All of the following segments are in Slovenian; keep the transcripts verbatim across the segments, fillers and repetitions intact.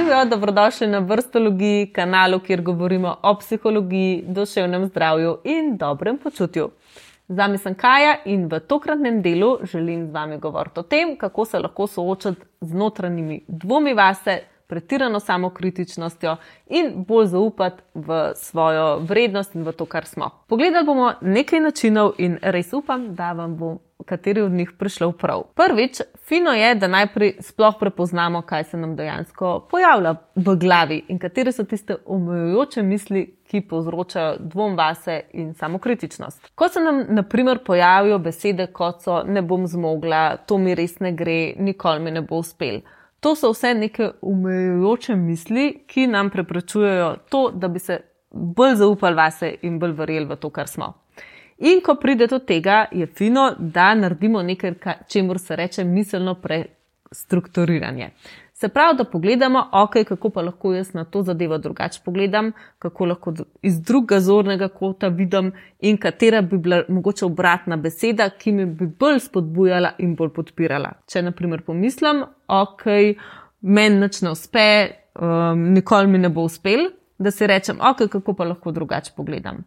Zdravijo, dobrodošli na Vrstologiji, kanalu, kjer govorimo o psihologiji, duševnem zdravju in dobrem počutju. Z vami sem Kaja in v tokratnem delu želim z vami govoriti o tem, kako se lahko soočati z notranjimi dvomi vase, pretirano samokritičnostjo in bolj zaupati v svojo vrednost in v to, kar smo. Pogledali bomo nekaj načinov in res upam, da vam bo kateri od njih prišlo prav. Prvič, fino je, da najprej sploh prepoznamo, kaj se nam dejansko pojavlja v glavi in katere so tiste omejujoče misli, ki povzročajo dvom vase in samokritičnost. Ko se nam na primer pojavijo besede, kot so ne bom zmogla, to mi res ne gre, nikoli mi ne bo uspel. To so vse neke omejujoče misli, ki nam preprečujejo to, da bi se bolj zaupali vase in bolj verjeli v to, kar smo. In ko pride do tega, je fino, da naredimo nekaj, čemur se reče miselno prestrukturiranje. Se pravi, da pogledamo, ok, kako pa lahko jaz na to zadevo drugače pogledam, kako lahko iz drugega zornega kota vidim in katera bi bila mogoče obratna beseda, ki mi bi bolj spodbujala in bolj podpirala. Če na primer pomislim, ok, meni nič ne uspe, um, nikoli mi ne bo uspel, da si rečem, ok, kako pa lahko drugače pogledam.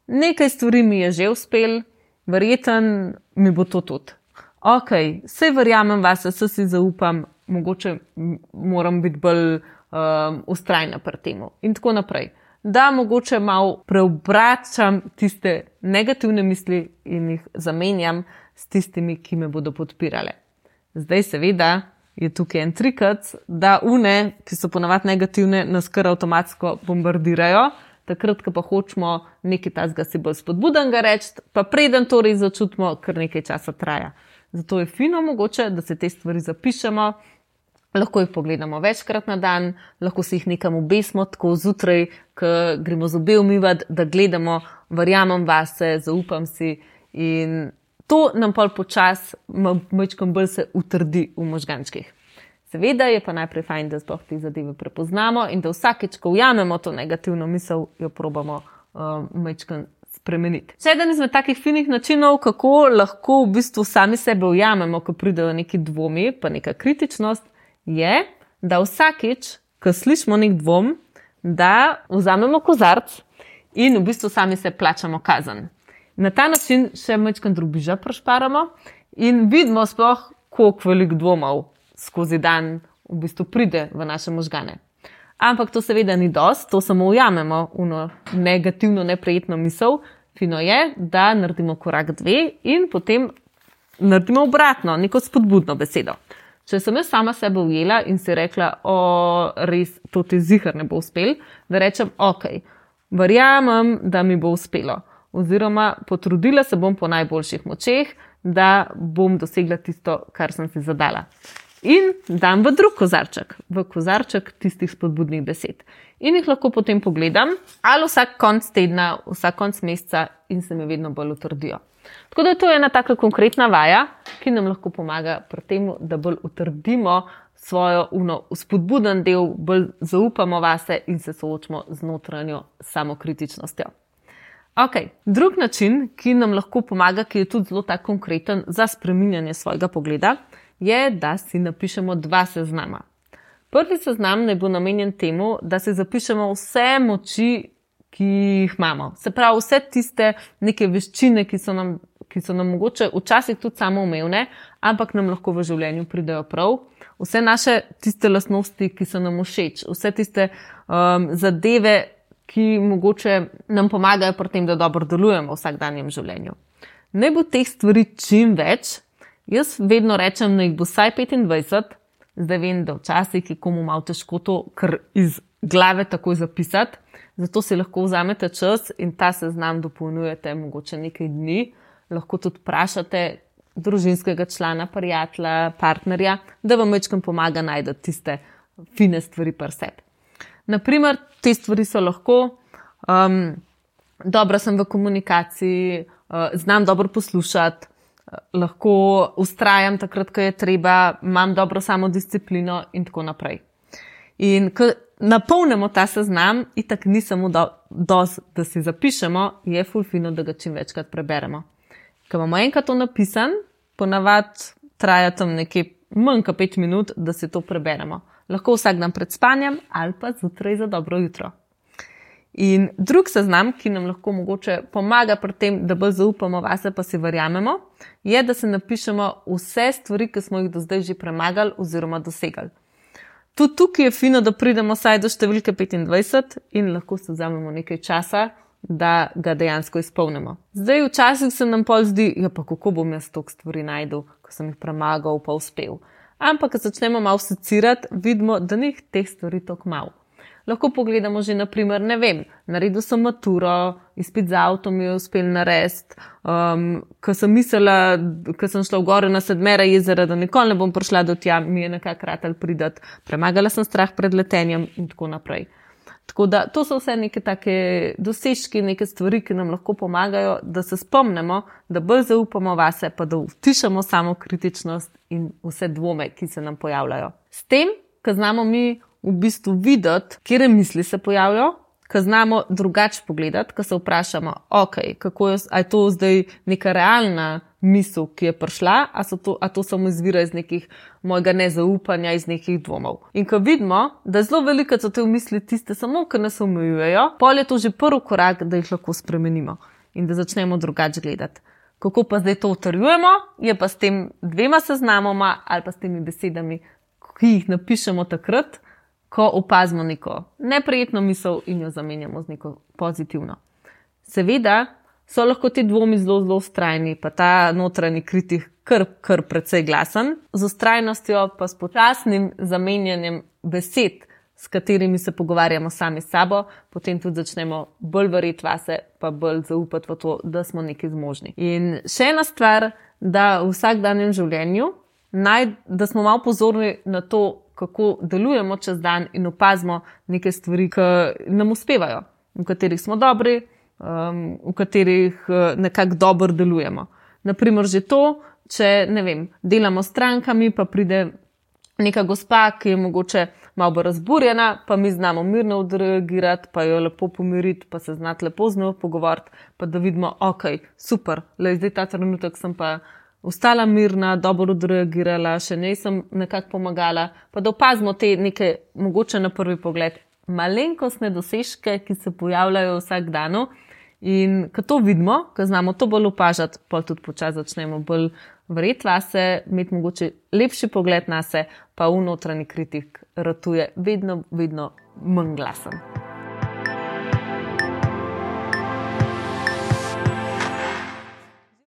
Nekaj stvari mi je že uspel, verjeten mi bo to tudi. Ok, saj verjamem vase, saj si zaupam, mogoče moram biti bolj um, vztrajna pri temu in tako naprej. Da mogoče malo preobračam tiste negativne misli in jih zamenjam s tistimi, ki me bodo podpirale. Zdaj seveda je tukaj en trikac, da une, ki so ponavadi negativne, nas kar avtomatsko bombardirajo, takrat, ko pa hočemo nekaj tazga si bolj spodbudenega reči, pa preden to res začutimo, kar nekaj časa traja. Zato je fino mogoče, da se te stvari zapišemo, lahko jih pogledamo večkrat na dan, lahko si jih nekam obesimo, tako zjutraj, ko gremo zobe umivati, da gledamo, verjamem vase, zaupam si in to nam pol počas majčkeno bolj se utrdi v možgančkih. Seveda je pa najprej fajn, da sploh te zadeve prepoznamo in da vsakeč, ko ujamemo to negativno misel, jo probamo um, majčkeno spremeniti. Še eden izmed takih finih načinov, kako lahko v bistvu sami sebe ujamemo, ko pridejo neki dvomi, pa neka kritičnost, je, da vsakeč, ko slišimo nek dvom, da vzamemo kozarc in v bistvu sami se plačamo kazen. Na ta način še majčkeno drobiža prešparamo in vidimo sploh, koliko velik dvomov skozi dan v bistvu pride v naše možgane. Ampak to seveda ni dosti, to samo ujamemo uno negativno, neprijetno misel. Fino je, da naredimo korak dve in potem naredimo obratno, neko spodbudno besedo. Če sem jaz sama sebe ujela in si rekla, o, res, to ti ziher ne bo uspel, da rečem, ok, verjamem, da mi bo uspelo. Oziroma, potrudila se bom po najboljših močeh, da bom dosegla tisto, kar sem si zadala. In dam v drug kozarček, v kozarček tistih spodbudnih besed. In jih lahko potem pogledam, ali vsak konc tedna, vsak konc meseca in se mi vedno bolj utrdijo. Tako da to je ena taka konkretna vaja, ki nam lahko pomaga pri tem, da bolj utrdimo svojo uno spodbuden del, bolj zaupamo vase in se soočimo z notranjo samokritičnostjo. Ok, drug način, ki nam lahko pomaga, ki je tudi zelo tak konkreten za spreminjanje svojega pogleda, je, da si napišemo dva seznama. Prvi seznam naj bo namenjen temu, da si zapišemo vse moči, ki jih imamo. Se pravi, vse tiste neke veščine, ki so nam, ki so nam mogoče včasih tudi samoumevne, ampak nam lahko v življenju pridejo prav. Vse naše tiste lastnosti, ki so nam všeč, vse tiste um, zadeve, ki mogoče nam pomagajo pri tem, da dobro delujemo v vsakdanjem življenju. Naj bo teh stvari čim več. Jaz vedno rečem, da jih bo vsaj petindvajset, zdaj vem, da včasih je komu malo težko to kar iz glave takoj zapisati, zato si lahko vzamete čas in ta seznam dopolnjujete mogoče nekaj dni, lahko tudi vprašate družinskega člana, prijatelja, partnerja, da vam majčkeno pomaga najti tiste fine stvari pri sebi. Naprimer, te stvari so lahko, um, dobra sem v komunikaciji, uh, znam dobro poslušati, lahko vztrajam takrat, ko je treba, imam dobro samodisciplino in tako naprej. In ko napolnimo ta seznam, itak ni samo do, dosti, da si zapišemo, je ful fino, da ga čim večkrat preberemo. Ko imamo enkrat to napisan, ponavadi traja tam nekje manj kot pet minut, da si to preberemo. Lahko vsak dan pred spanjem ali pa zjutraj za dobro jutro. In drug seznam, ki nam lahko mogoče pomaga pri tem, da bolj zaupamo vase pa si verjamemo, je, da se napišemo vse stvari, ki smo jih do zdaj že premagali oziroma dosegali. Tudi tukaj je fino, da pridemo vsaj do številke petindvajset in lahko se vzamemo nekaj časa, da ga dejansko izpolnimo. Zdaj včasih se nam pol zdi, ja pa kako bom jaz toliko stvari najdel, ko sem jih premagal pa uspel. Ampak, ko začnemo malo secirati, vidimo, da ni teh stvari toliko malo. Lahko pogledamo že, naprimer, ne vem, naredil sem maturo, izpit za avto mi je uspel narediti, um, ko sem mislila, ko sem šla v gore na Sedmera jezera, da nikoli ne bom prišla do tja, mi je nekako ratal pridati, premagala sem strah pred letenjem in tako naprej. Tako da to so vse neke take dosežki, neke stvari, ki nam lahko pomagajo, da se spomnimo, da bolj zaupamo vase, pa da utišamo samo kritičnost in vse dvome, ki se nam pojavljajo. S tem, ko znamo mi v bistvu videti, kje misli se pojavljajo, ko znamo drugače pogledati, ko se vprašamo, ok, kako je, a je to zdaj neka realna misel, ki je prišla, a, so to, a to samo izvira iz nekih mojega nezaupanja, iz nekih dvomov. In ko vidimo, da zelo veliko so te misli tiste samo, ki nas omejujejo, pol je to že prvi korak, da jih lahko spremenimo in da začnemo drugače gledati. Kako pa zdaj to utrjujemo, je pa s tem dvema seznamoma ali pa s temi besedami, ki jih napišemo takrat, ko opazimo neko neprijetno misel in jo zamenjamo z neko pozitivno. Seveda so lahko ti dvomi zelo, zelo vztrajni, pa ta notranji kritik kar, kar precej glasen, z vztrajnostjo pa s počasnim zamenjanjem besed, s katerimi se pogovarjamo sami s sabo, potem tudi začnemo bolj verjeti vase, pa bolj zaupati v to, da smo nekaj zmožni. In še ena stvar, da v vsakdanjem življenju, naj, da smo malo pozorni na to, kako delujemo čez dan in opazimo neke stvari, ki nam uspevajo, v katerih smo dobri, um, v katerih nekako dobro delujemo. Naprimer že to, če ne vem, delamo s strankami, pa pride neka gospa, ki je mogoče malo bolj razburjena, pa mi znamo mirno odreagirati, pa jo lepo pomiriti, pa se znati lepo z njo pogovoriti, pa da vidimo, ok, super, le zdaj ta trenutek sem pa ostala mirna, dobro odreagirala, še njej sem nekako pomagala, pa da opazimo te neke, mogoče na prvi pogled, malenkostne dosežke, ki se pojavljajo vsak dan. In ko to vidimo, ko znamo to bolj opažati, pa tudi počasi začnemo bolj verjeti vase, imeti mogoče lepši pogled nase, pa v notranji kritik ratuje vedno, vedno manj glasen.